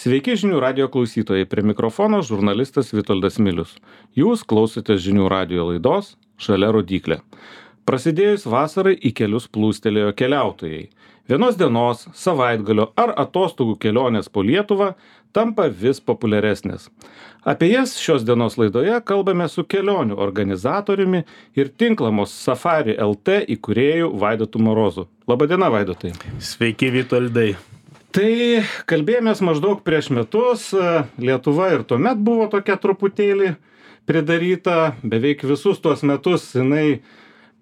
Sveiki žinių radio klausytojai, prie mikrofono žurnalistas Vitoldas Milius. Jūs klausotės žinių radio laidos Žalia rodyklė. Prasidėjus vasarai į kelius plūstelėjo keliautojai. Vienos dienos, savaitgalio ar atostogų kelionės po Lietuvą tampa vis populiaresnės. Apie jas šios dienos laidoje kalbame su kelionių organizatoriumi ir tinklamos Safari LT įkūrėju Vaidotu Morozu. Labadiena, Vaidotai. Sveiki, Vitoldai. Tai kalbėjomės maždaug prieš metus, Lietuva ir tuomet buvo tokia truputėlį pridaryta, beveik visus tuos metus jinai,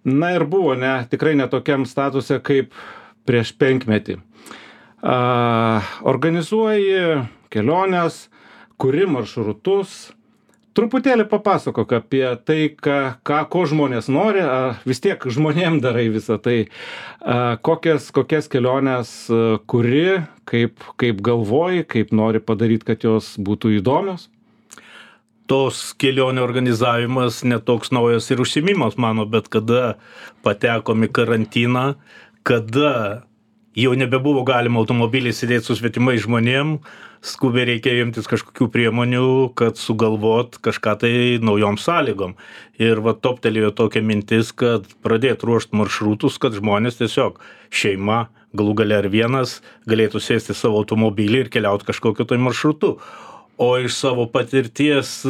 ir buvo tikrai netokiam statuse kaip prieš 5 metį. Organizuoji keliones, kuri maršrutus. Truputėlį papasakok apie tai, ko žmonės nori, vis tiek žmonėm darai visą tai. Kokias keliones kuri, kaip galvoji, kaip nori padaryti, kad jos būtų įdomios? Tos kelionių organizavimas netoks naujas ir užsiėmimas mano, bet kada patekom į karantiną, kada jau nebebuvo galima automobilį sėdėti su svetimais žmonėm, skubiai reikėjo imtis kažkokių priemonių, kad sugalvot kažką tai naujom sąlygom. Ir toptelėjo tokia mintis, kad pradėt ruošt maršrutus, kad žmonės tiesiog šeima, galų gale ar vienas, galėtų sėsti savo automobilį ir keliauti kažkokiu tai maršrutu. O iš savo patirties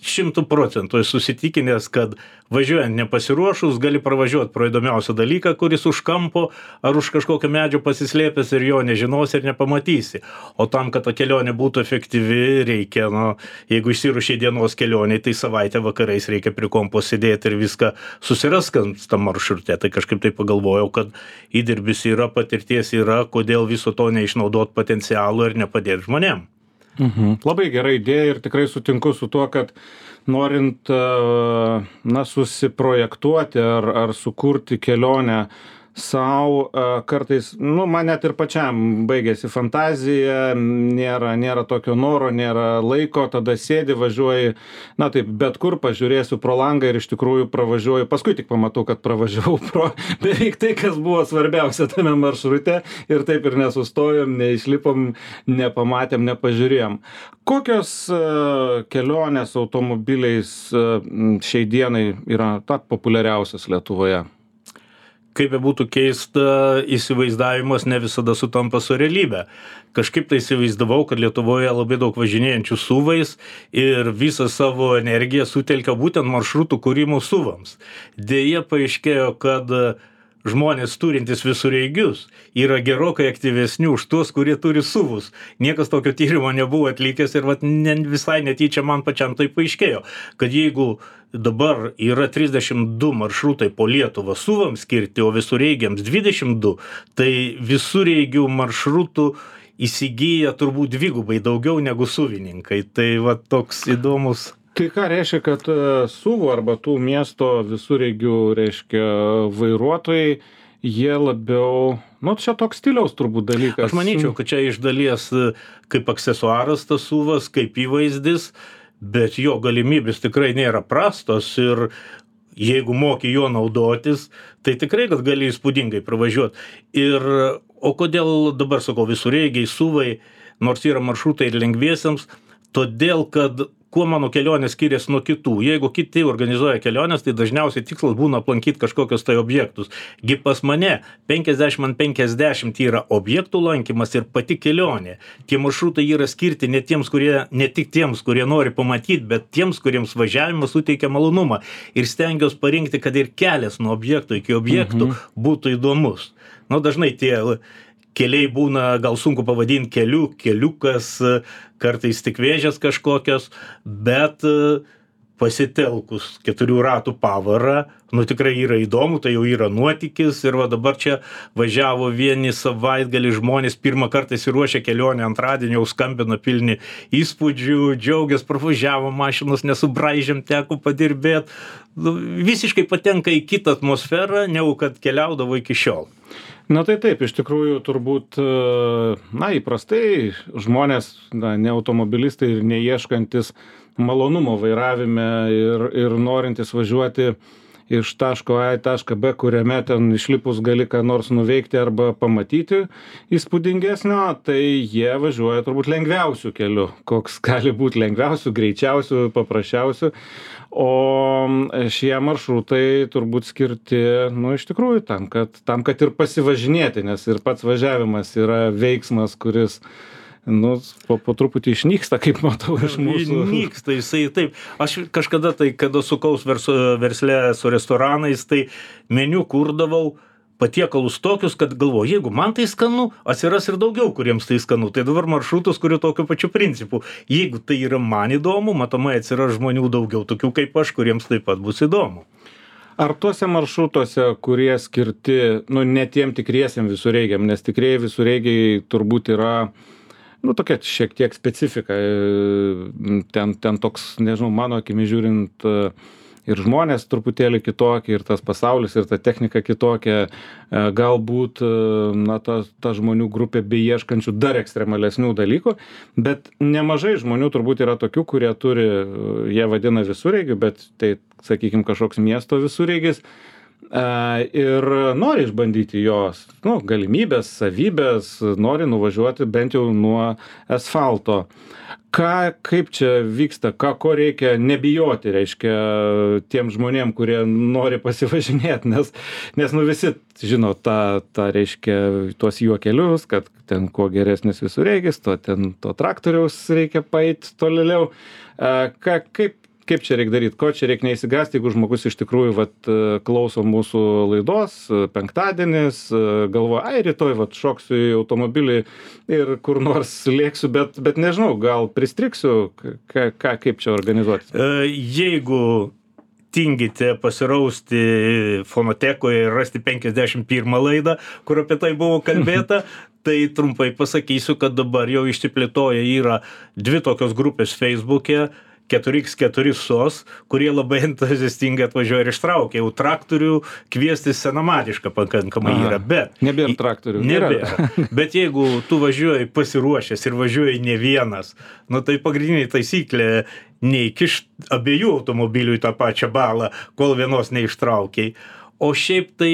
100% esu susitikinęs, kad važiuojant nepasiruošus gali pravažiuoti pro įdomiausią dalyką, kuris už kampo ar už kažkokio medžio pasislėpęs ir jo nežinosi ir nepamatysi. O tam, kad ta kelionė būtų efektyvi, reikia, jeigu išsiruošė dienos kelioniai, tai savaitę vakarais reikia prie kompo sėdėti ir viską susiraskant tam maršrute. Tai kažkaip tai pagalvojau, kad įdirbis yra, patirties yra, kodėl viso to neišnaudot potencialų ir nepadėti žmonėm. Labai gera idėja ir tikrai sutinku su tuo, kad norint susiprojektuoti ar sukurti kelionę sau, kartais, man net ir pačiam baigėsi fantazija, nėra tokio noro, nėra laiko, tada sėdi, važiuoji, taip, bet kur pažiūrėsiu pro langą ir iš tikrųjų pravažiuoju, paskui tik pamatau, kad pravažiavau pro beveik tai, kas buvo svarbiausia tame maršrute ir taip ir nesustojom, neišlipom, nepamatėm, nepažiūrėjom. Kokios kelionės automobiliais šiai dienai yra populiariausias Lietuvoje? Kaip būtų keista, įsivaizdavimas ne visada sutampa su realybė. Kažkaip tai įsivaizdavau, kad Lietuvoje labai daug važinėjančių SUV-ais ir visą savo energiją sutelkia būtent maršrutų kūrimo SUV-ams. Deja, paaiškėjo, kad žmonės turintys visureigius yra gerokai aktyvesni už tuos, kurie turi SUV-us. Niekas tokio tyrimo nebuvo atlikęs ir visai netyčia man pačiam tai paaiškėjo, kad jeigu dabar yra 32 maršrutai po Lietuvą SUV-ams skirti, o visureigiams 22, tai visureigių maršrutų įsigyja turbūt dvigubai daugiau negu SUV-ininkai. Tai toks įdomus. Tai ką reiškia, kad SUV arba tų miesto visureigių, vairuotojai, jie labiau, čia toks stiliaus turbūt dalykas. Aš manyčiau, kad čia iš dalies kaip aksesuaras tas SUV-as, kaip įvaizdis, bet jo galimybės tikrai nėra prastos ir jeigu moki juo naudotis, tai tikrai, kad gali įspūdingai pravažiuoti. O kodėl dabar, sakau, visureigiai, SUV-ai, nors yra maršrutai ir lengviesiams, todėl, kad kuo mano kelionės skiriasi nuo kitų. Jeigu kiti organizuoja keliones, tai dažniausiai tikslas būna aplankyti kažkokius tai objektus. Gi pas mane 50/50 yra objektų lankymas ir pati kelionė. Tie maršrutai yra skirti ne tik tiems, kurie nori pamatyti, bet tiems, kuriems važiavimas suteikia malonumą. Ir stengiuosi parinkti, kad ir kelias nuo objektų iki objektų būtų įdomus. Dažnai tie keliai būna, gal sunku pavadinti keliukas, kartais tik vėžės kažkokios, bet pasitelkus 4 ratų pavarą, tikrai yra įdomu, tai jau yra nuotykis ir dabar čia važiavo vieni savaitgalį žmonės, pirmą kartą įsiruošę kelionę antradienį, jau skambina pilni įspūdžių, džiaugias, pravažiavo mašinos, nesubraižėm, teko padirbėti. Visiškai patenka į kitą atmosferą, negu kad keliaudavo iki šiol. Tai taip, iš tikrųjų turbūt, įprastai žmonės, ne automobilistai ir neieškantis malonumo vairavime ir norintis važiuoti iš taško A į tašką B, kuriame ten išlipus gali ką nors nuveikti arba pamatyti įspūdingesnio, tai jie važiuoja turbūt lengviausių kelių, koks gali būti lengviausių, greičiausių, paprasčiausių. O šie maršrutai turbūt skirti, nu, iš tikrųjų tam, kad ir pasivažinėti, nes ir pats važiavimas yra veiksmas, kuris nu, po truputį išnyksta, kaip matau iš mūsų. Nyksta, jisai taip. Aš kažkada tai, kada sukaus versle su restoranais, tai meniu kurdavau patiekalus tokius, kad galvoju, jeigu man tai skanu, atsiras ir daugiau, kuriems tai skanu. Tai dabar maršrutus kuriu tokiu pačiu principu. Jeigu tai yra man įdomu, matomai atsiras žmonių daugiau, tokių kaip aš, kuriems taip pat bus įdomu. Ar tuose maršrutuose, kurie skirti, nu, ne tiem tikriesiem visureigiam, nes tikrieji visureigiai turbūt yra nu, tokia šiek tiek specifika. Ten toks, nežinau, mano akimi žiūrint, ir žmonės truputėlį kitokie, ir tas pasaulis, ir ta technika kitokia. Galbūt, na, ta žmonių grupė beieškančių dar ekstremalesnių dalykų, bet nemažai žmonių turbūt yra tokių, kurie turi, jie vadina visureigiu, bet tai, sakykime, kažkoks miesto visureigis. Ir nori išbandyti jos galimybės, savybės, nori nuvažiuoti bent jau nuo asfalto. Kaip čia vyksta, ko reikia nebijoti, reiškia, tiem žmonėm, kurie nori pasivažinėti, nes nu visi žino tą reiškia, tuos juokelius, kad ten kuo geresnis visureigis, to traktoriaus reikia paeit tolėliau. Kaip čia reikia daryti, ko čia reikia neįsigąsti, jeigu žmogus iš tikrųjų klauso mūsų laidos, penktadienis, galvoja, rytoj šoksiu į automobilį ir kur nors lėksiu, bet nežinau, gal pristriksiu, kaip čia organizuoti. Jeigu tingite pasirausti fonotekoje ir rasti 51 laidą, kur apie tai buvo kalbėta, tai trumpai pasakysiu, kad dabar jau išsiplėtoja yra 2 tokios grupės Facebook'e, 4x4 SOS, kurie labai entuziastingai atvažiuoja ir ištraukia. Jau traktorių kviestis senamadiška pakankamai yra, bet... Nebėra traktorių. Nebėra. Bet jeigu tu važiuoji pasiruošęs ir važiuoji ne vienas, nu tai pagrindinė taisyklė neįkišt abiejų automobilių į tą pačią balą, kol vienos neištraukiai. O šiaip tai...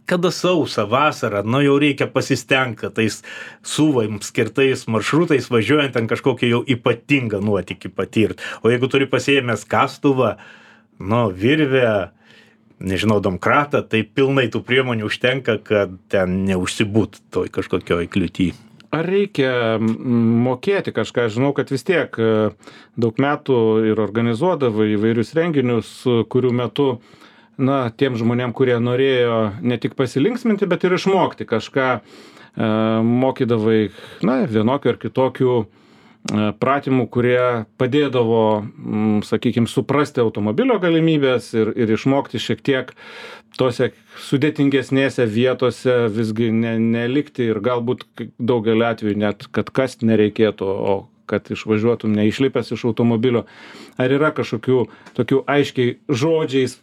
Kada sausa, vasara, nu jau reikia pasistengti, kad tais suvaims skirtais maršrutais važiuojant ten kažkokį jau ypatingą nuotykį patirti. O jeigu turi pasiėmęs kastuvą, nu, virvę, nežinau, domkratą, tai pilnai tų priemonių užtenka, kad ten neužsibūt toj kažkokioj kliūty. Ar reikia mokėti kažką? Žinau, kad vis tiek daug metų ir organizuodavo įvairius renginius, kurių metu na, tiem žmonėm, kurie norėjo ne tik pasilinksminti, bet ir išmokti kažką, mokydavai, na, vienokių ar kitokių pratimų, kurie padėdavo, sakykime, suprasti automobilio galimybės ir išmokti šiek tiek tose sudėtingesnėse vietose visgi nelikti ir galbūt daugelį atvejų net, kad kasti nereikėtų, o kad išvažiuotum neišlipęs iš automobilio. Ar yra kažkokių tokių aiškiai žodžiais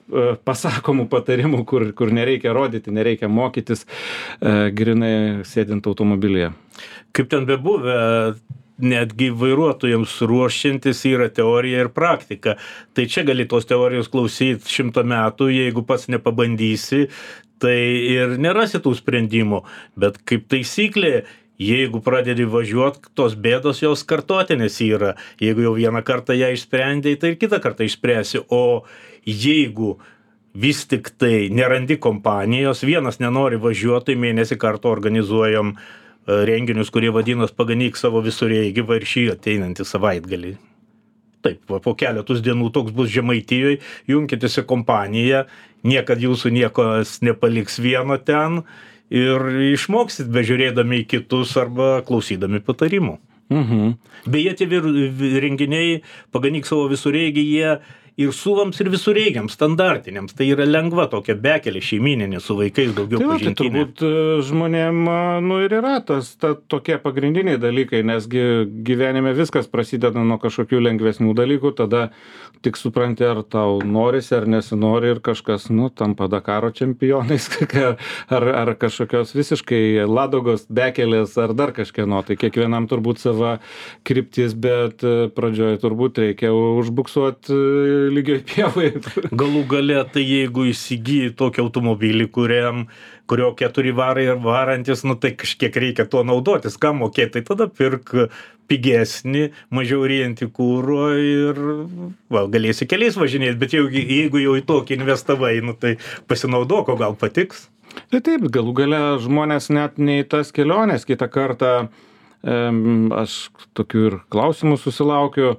pasakomų patarimų, kur nereikia rodyti, nereikia mokytis, grinai sėdint automobilyje? Kaip ten bebuvę, netgi vairuotojams ruošiantis yra teorija ir praktika. Tai čia gali tos teorijos klausyti 100 metų, jeigu pats nepabandysi, tai ir nerasi tų sprendimų. Bet kaip taisyklė, jeigu pradedi važiuoti, tos bėdos jos kartotinės yra. Jeigu jau vieną kartą ją išsprendėjai, tai ir kitą kartą išspręsi. O jeigu vis tik tai nerandi kompanijos, vienas nenori važiuoti, mėnesį kartą organizuojam renginius, kurie vadinos paganyk savo visureigį ir šį ateinantį savaitgalį. Taip, po keletus dienų toks bus Žemaitijoje, junkitės į kompaniją, niekad jūsų niekas nepaliks vieno ten, ir išmoksit bežiūrėdami į kitus arba klausydami patarimų. Beje, tie renginiai paganyk savo visureigį, jie ir suvams ir visureigiams, standartiniams. Tai yra lengva tokia bekelė šeimyninė su vaikais daugiau pažintinė. Tai turbūt žmonėm, nu ir yra tokie pagrindiniai dalykai, nesgi gyvenime viskas prasideda nuo kažkokių lengvesnių dalykų, tada tik supranti, ar tau norisi ar nesinori ir kažkas, nu, tampa Dakaro čempionais, ar kažkokios visiškai Ladogos bekelės, ar dar kažkieno. Tai kiekvienam turbūt sava kryptis, bet pradžioje turbūt reikia užbuksuoti lygioj pievoj. Galų gale, tai jeigu įsigyji tokį automobilį, kurio 4 varai varantis, nu tai kažkiek reikia tuo naudotis, ką mokėti, tai tada pirk pigesnį, mažiau ryjantį kūro ir galėsi keliais važinėti, bet jeigu jau į tokį investavai, nu tai pasinaudok, o gal patiks. Tai taip, galų gale žmonės net ne į tas keliones kitą kartą, aš tokių ir klausimų susilaukiu,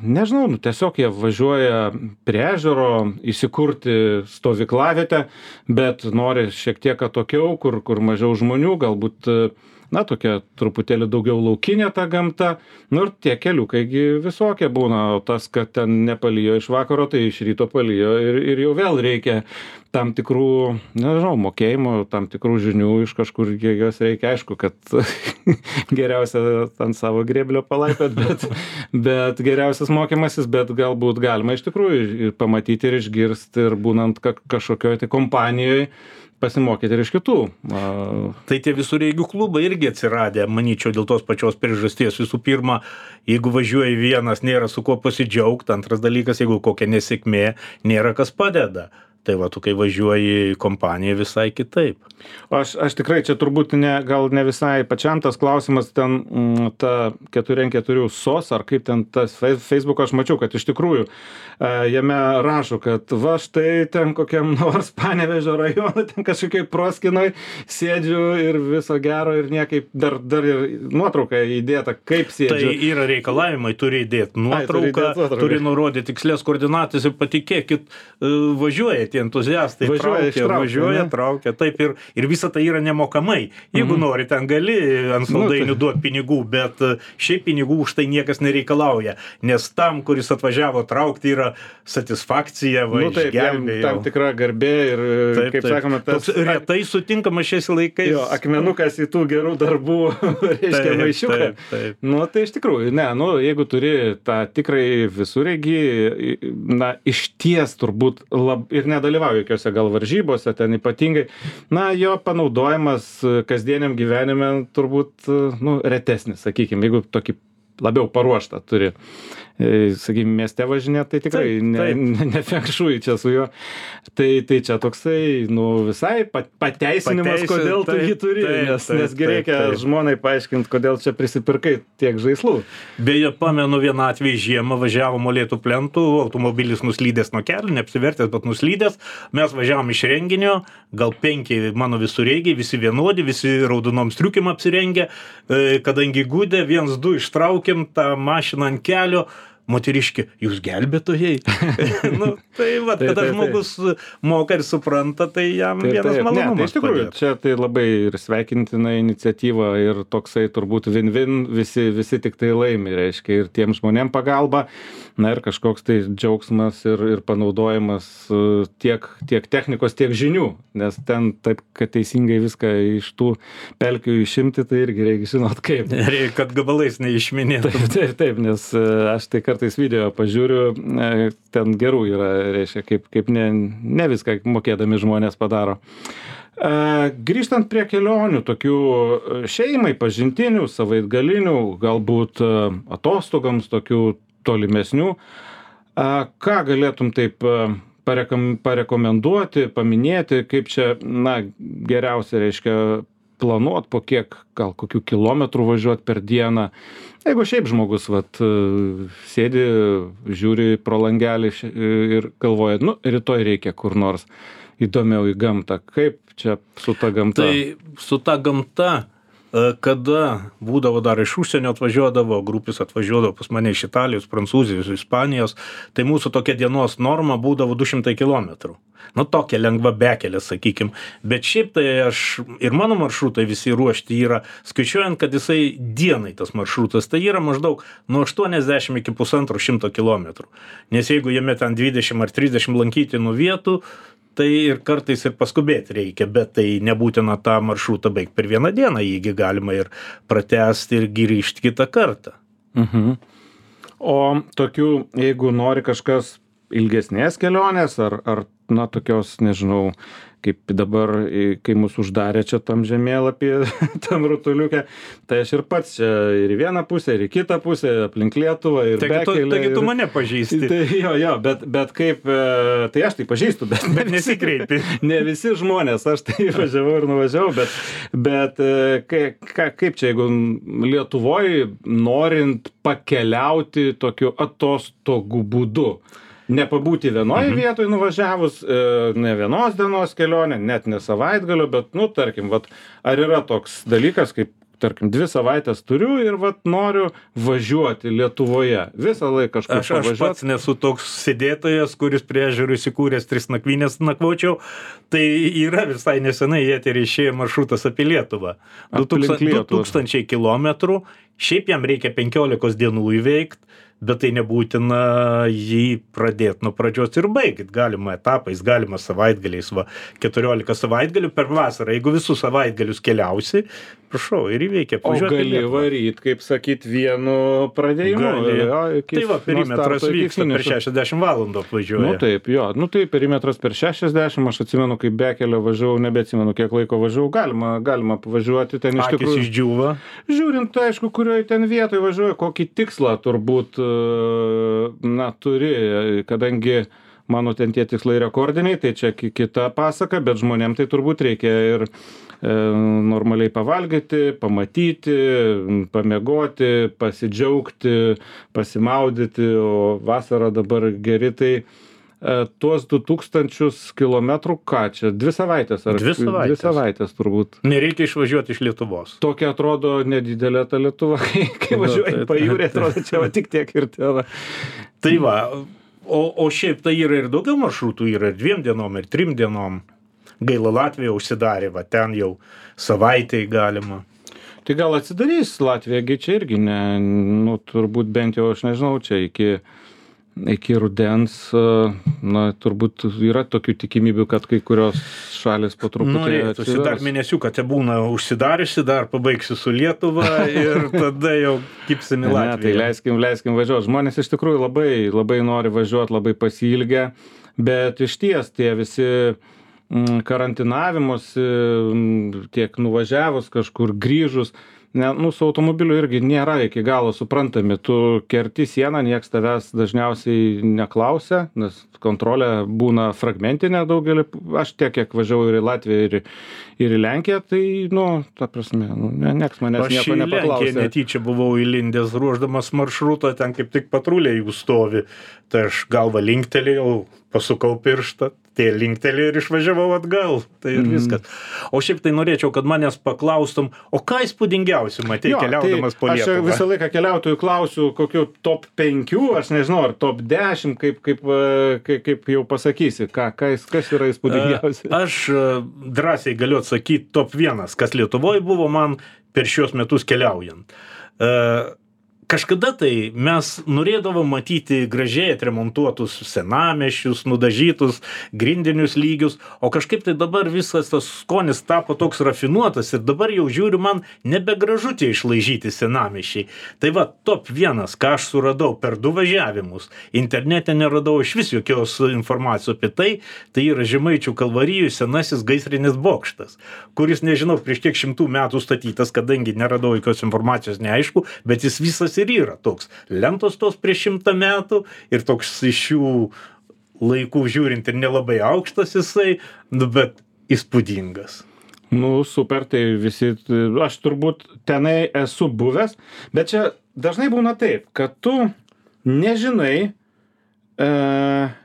nežinau, tiesiog jie važiuoja prie ežero įsikurti stovyklavietę, bet nori šiek tiek atokiau, kur mažiau žmonių, galbūt tokia truputėlį daugiau laukinė ta gamta, ir tie keliukai visokie būna, o tas, kad ten nepalijo iš vakaro, tai iš ryto palijo ir jau vėl reikia tam tikrų, nežinau, mokėjimų, tam tikrų žinių iš kažkur, jos reikia, aišku, kad geriausia ant savo grėblio palaipėt, bet geriausias mokymasis, bet galbūt galima iš tikrųjų ir pamatyti ir išgirsti ir būnant kažkokioj tai kompanijoje, pasimokyti ir iš kitų. Tai tie visureigių klubai irgi atsiradę, manyčiau, dėl tos pačios priežasties. Visų pirma, jeigu važiuoji vienas, nėra su kuo pasidžiaugti. Antras dalykas, jeigu kokia nesėkmė, nėra kas padeda. Tai va, tu kai važiuoji į kompaniją visai kitaip. Aš tikrai čia turbūt gal ne visai pačiam tas klausimas, ten ta 4x4 SOS, ar kaip ten tas Facebook, aš mačiau, kad iš tikrųjų jame rašo, kad va štai ten kokiam nors Panevėžio rajono, ten kažkokiai proskinoj sėdžiu ir viso gero ir niekaip dar ir nuotrauką įdėta, kaip sėdžiu. Tai yra reikalavimai, turi įdėti nuotrauką, turi nurodyti tikslės koordinatas ir patikėkit, važiuoja tie entuziastai, važiuoja, traukia, taip ir visa tai yra nemokamai. Jeigu nori, ten gali ant saldainių duoti pinigų, bet šiaip pinigų už tai niekas nereikalauja, nes tam, kuris atvažiavo traukti, yra satisfakcija, išgelbėjo. Tam tikra garbė ir, kaip sakome, tas... Toks retai sutinkamas šiais laikais. Jo, akmenukas į tų gerų darbų, reiškia, maišiuką. Tai iš tikrųjų, jeigu turi tą tikrai visureigį, išties turbūt ir nedalyvauja jokiose gal varžybose, ten ypatingai, jo panaudojimas kasdieniam gyvenime turbūt, retesnis, sakykime, jeigu tokį labiau paruoštą turi. Sakykime, mieste važinėti, tai tikrai ne fengšui čia su juo. Tai čia toksai, visai pateisinimas, kodėl tu jį turi, nes reikia žmonai paaiškinti, kodėl čia prisipirkai tiek žaislų. Beje, pamenu vieną atvejį žiemą, važiavo molėtų plentų, automobilis nuslydęs nuo kelio, neapsivertęs, bet nuslydęs. Mes važiavom iš renginio, gal 5 mano visureigiai, visi vienodi, visi raudonom striukim apsirengę, kadangi gudė, 1-2 ištraukėm tą mašiną ant kelio. Moteriški, jūs gelbėtojai. Tai kada žmogus moka ir supranta, tai jam vienas malonumas. Iš tikrųjų, čia tai labai ir sveikintina iniciatyva ir toksai turbūt win-win, visi tik tai laimi, reiškia, ir tiem žmonėm pagalba, ir kažkoks tai džiaugsmas ir panaudojimas tiek technikos, tiek žinių, nes ten taip, kad teisingai viską iš tų pelkių išimti, tai irgi reikia žinot kaip. Reikia, kad gabalais neišminėtum. Taip, nes aš tai kartais video pažiūriu, ten gerų yra, reiškia, kaip ne viską mokėdami žmonės padaro. Grįžtant prie kelionių, tokių šeimai, pažintinių, savaitgalinių, galbūt atostogams, tokių tolimesnių, ką galėtum taip parekomenduoti, paminėti, kaip čia, geriausia, reiškia, planuot, po kiek, gal kokių kilometrų važiuoti per dieną. Jeigu šiaip žmogus, sėdi, žiūri pro langelį ir galvoja, rytoj reikia kur nors įdomiau į gamtą. Kaip čia su ta gamta? Tai su ta gamta, kada būdavo dar iš užsienio atvažiuodavo, grupės atvažiuodavo pas mane iš Italijos, Prancūzijos, Ispanijos, tai mūsų tokia dienos norma būdavo 200 kilometrų. Tokia lengva bekelė, sakykim. Bet šiaip tai ir mano maršrutai visi ruošti yra, skaičiuojant, kad jisai dienai tas maršrutas, tai yra maždaug nuo 80 iki 150 kilometrų. Nes jeigu jame ten 20 ar 30 lankytinų vietų, tai ir kartais ir paskubėti reikia, bet tai nebūtina tą maršrutą baigti per vieną dieną, jįgi galima ir pratęsti ir grįžti kitą kartą. O tokių, jeigu nori kažkas ilgesnės kelionės, ar na, tokios, nežinau, kaip dabar, kai mus uždarė čia tam žemėlapyje, tam rutuliuke, tai aš ir pats čia ir į vieną pusę, ir į kitą pusę, aplink Lietuvą, ir bekelę. Taigi tu mane pažįsti. Tai, jo, bet kaip, tai aš tai pažįstu, bet nesikreipi. Ne visi žmonės, aš tai važiavau ir nuvažiavau, bet kaip čia, jeigu Lietuvoje norint pakeliauti tokiu atostogų būdu, nepabūti vienoje vietoje nuvažiavus, ne vienos dienos kelionė, net ne savaitgalio, bet, nu, tarkim, vat, ar yra toks dalykas, kaip, tarkim, 2 savaitės turiu ir vat noriu važiuoti Lietuvoje. Visą laiką kažkur pavažiuoti. Aš pats nesu toks sėdėtojas, kuris prie ežerų įsikūręs 3 nakvynės nakvočiau. Tai yra visai nesenai į eterį išėjo maršrutas apie Lietuvą. 2000 kilometrų. Šiaip jam reikia 15 dienų įveikti, bet tai nebūtina jį pradėti nuo pradžios ir baigti. Galima etapais, galima savaitgaliais, 14 savaitgalių per vasarą. Jeigu visus savaitgalius keliausi, prašau, ir įveikia. O gali varyt, kaip sakyt, vienu pradėjimu. Tai va, perimetras vyksta per 60 valandų apvažiuoja. Nu taip, jo. Nu tai perimetras per 60, aš atsimenu, kaip bekelio važiavau, nebeatsimenu, kiek laiko važiavau. Galima pavažiuoti ten iš tikrųjų. Akys išdžiūva. Žiūrint, aišku, kurioje ten vietoje važiuoju, kokį tikslą turbūt, na, turi, kadangi mano ten tie tikslai rekordiniai, tai čia kita pasaka, bet žmonėm tai turbūt reikia ir normaliai pavalgyti, pamatyti, pamiegoti, pasidžiaugti, pasimaudyti, o vasarą dabar geri, tai tuos 2000 kilometrų, ką čia, 2 savaitės? 2 savaitės turbūt. Nereikia išvažiuoti iš Lietuvos. Tokia atrodo nedidelė ta Lietuva, kai važiuoji pajūrė, atrodo, čia va tik tiek ir tėra. Tai va, o šiaip tai yra ir daugiau maršrutų, yra ir 2 dienom, ir 3 dienom. Gaila, Latvija užsidarė, va ten jau savaitei galima. Tai gal atsidarys Latvija, čia irgi ne, nu turbūt bent jau, aš nežinau, čia iki rudens, na, turbūt yra tokių tikimybių, kad kai kurios šalis po truputį atsivers. Dar mėnesiuką te būna užsidariusi, dar pabaigsi su Lietuva ir tada jau kipsim į Latviją. Ne, tai leiskim važiuoti. Žmonės iš tikrųjų labai nori važiuoti, labai pasiilgę, bet išties tie visi karantinavimuose, tiek nuvažiavus kažkur, grįžus, nu, su automobiliu irgi nėra iki galo suprantami. Tu kerti sieną, nieks tavęs dažniausiai neklausia, nes kontrolė būna fragmentinė daugelį. Aš tiek, kiek važiavau ir į Latviją, ir į Lenkiją, tai, nu, ta prasme, nieks manęs nieko nepaklausė. Aš į Lenkiją netyčia buvau įlindęs ruoždamas maršrutą, ten kaip tik patruliai jų stovi. Tai aš galvą linktelėjau, pasukau pirštą, tai linktelėjau ir išvažiavau atgal. Tai ir viskas. O šiaip tai norėčiau, kad manęs paklaustum, o ką įspūdingiausiai matei keliaudamas po Lietuvą? Aš visą laiką keliautojų klausiu, kokiu top 5, aš nežinau, ar top 10, kaip jau pasakysi, kas yra įspūdingiausia. Aš drąsiai galiu atsakyti top 1, kas Lietuvoje buvo man per šios metus keliaujant. Kažkada tai mes norėdavom matyti gražiai atremontuotus senamiesčius, nudažytus grindinius lygius, o kažkaip tai dabar visas tas skonis tapo toks rafinuotas ir dabar jau žiūriu, man nebegražu tie išlaižyti senamiesčiai. Tai va, top 1, ką aš suradau per 2 važiavimus, internete neradau iš vis jokios informacijos apie tai, tai yra Žemaičių Kalvarijų senasis gaisrinis bokštas, kuris, nežinau, prieš kiek 100 metų statytas, kadangi neradau jokios informacijos, neaišku, bet jis visas ir yra toks. Lentos tos prieš 100 metų ir toks iš šių laikų žiūrint ir nelabai aukštas jisai, bet įspūdingas. Nu, super, tai visi, aš turbūt tenai esu buvęs, bet čia dažnai būna taip, kad tu nežinai,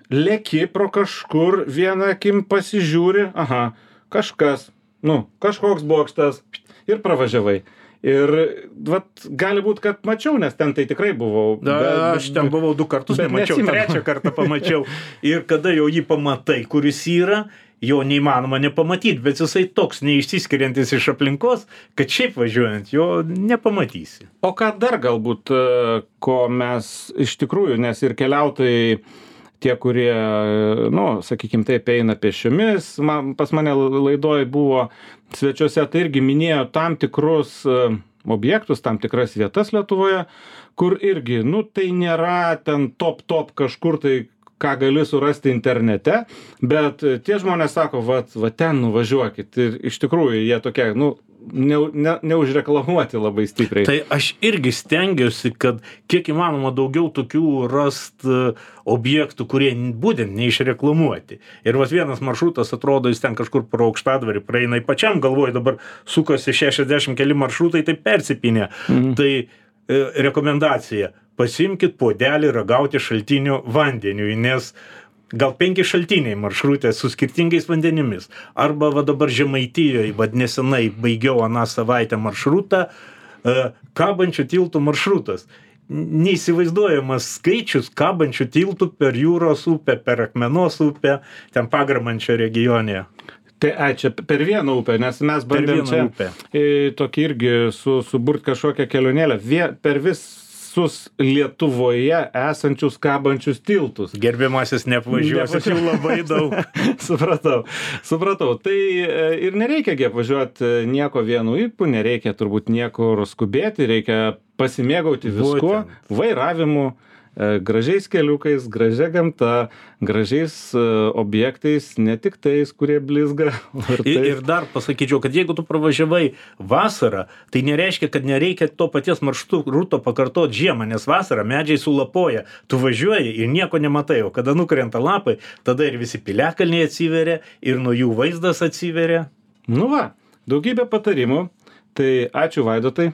leki pro kažkur, vieną akim pasižiūri, aha, kažkas, nu, kažkoks bokštas ir pravažiavai. Ir vat, gali būt, kad mačiau, nes ten tai tikrai buvau. Aš ten buvau 2 kartus, nemačiau, 3 kartą pamačiau. Ir kada jau jį pamatai, kuris yra, jo neįmanoma nepamatyti, bet jisai toks neišsiskiriantis iš aplinkos, kad šiaip važiuojant jo nepamatysi. O ką dar galbūt, ko mes iš tikrųjų, nes ir keliautojai, tie, kurie, nu, sakykime taip, eina pėsčiomis, pas mane laidoj buvo svečiuose, tai irgi minėjo tam tikrus objektus, tam tikras vietas Lietuvoje, kur irgi, nu, tai nėra ten top kažkur tai ką gali surasti internete, bet tie žmonės sako, va ten nuvažiuokit. Ir iš tikrųjų jie tokie, neužreklamuoti labai stipriai. Tai aš irgi stengiuosi, kad kiek įmanoma daugiau tokių rast objektų, kurie būtent neišreklamuoti. Ir vienas maršrutas atrodo, jis ten kažkur pro Aukštadvarį praeina, pačiam galvoju, dabar sukasi 60 keli maršrutai, tai persipinė. Tai rekomendacija, pasimkit puodelį ragauti šaltinio vandeniui, nes gal 5 šaltiniai maršrutė su skirtingais vandenimis. Arba dabar Žemaitijoje, nesenai baigiau aną savaitę maršrutą, kabančių tiltų maršrutas. Neįsivaizduojamas skaičius kabančių tiltų per Jūros upę, per Akmenos upę, ten Pagramančio regione. Tai čia per vieną upę, nes mes bandėm čia tokį irgi suburt kažkokią kelionėlę per visus Lietuvoje esančius kabančius tiltus. Gerbiamasis, neapvažiuosit jau labai daug. Supratau. Tai ir nereikia apvažiuoti nieko vienu ypu, nereikia turbūt niekur skubėti, reikia pasimėgauti viskuo, vairavimu, gražiais keliukais, gražia gamta, gražiais objektais, ne tik tais, kurie blizga. Ir dar pasakyčiau, kad jeigu tu pravažiavai vasarą, tai nereiškia, kad nereikia to paties maršruto pakartoti žiemą, nes vasarą medžiai sulapoja, tu važiuoji ir nieko nematai, o kada nukrenta lapai, tada ir visi piliakalniai atsiveria ir nuo jų vaizdas atsiveria. Daugybė patarimų, tai ačiū Vaidotai.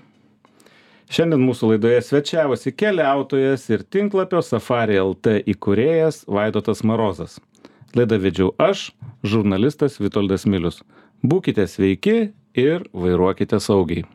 Šiandien mūsų laidoje svečiavosi keliautojas ir tinklapio Safari LT įkūrėjas Vaidotas Marozas. Laidą vedžiau aš, žurnalistas Vitoldas Milius. Būkite sveiki ir vairuokite saugiai.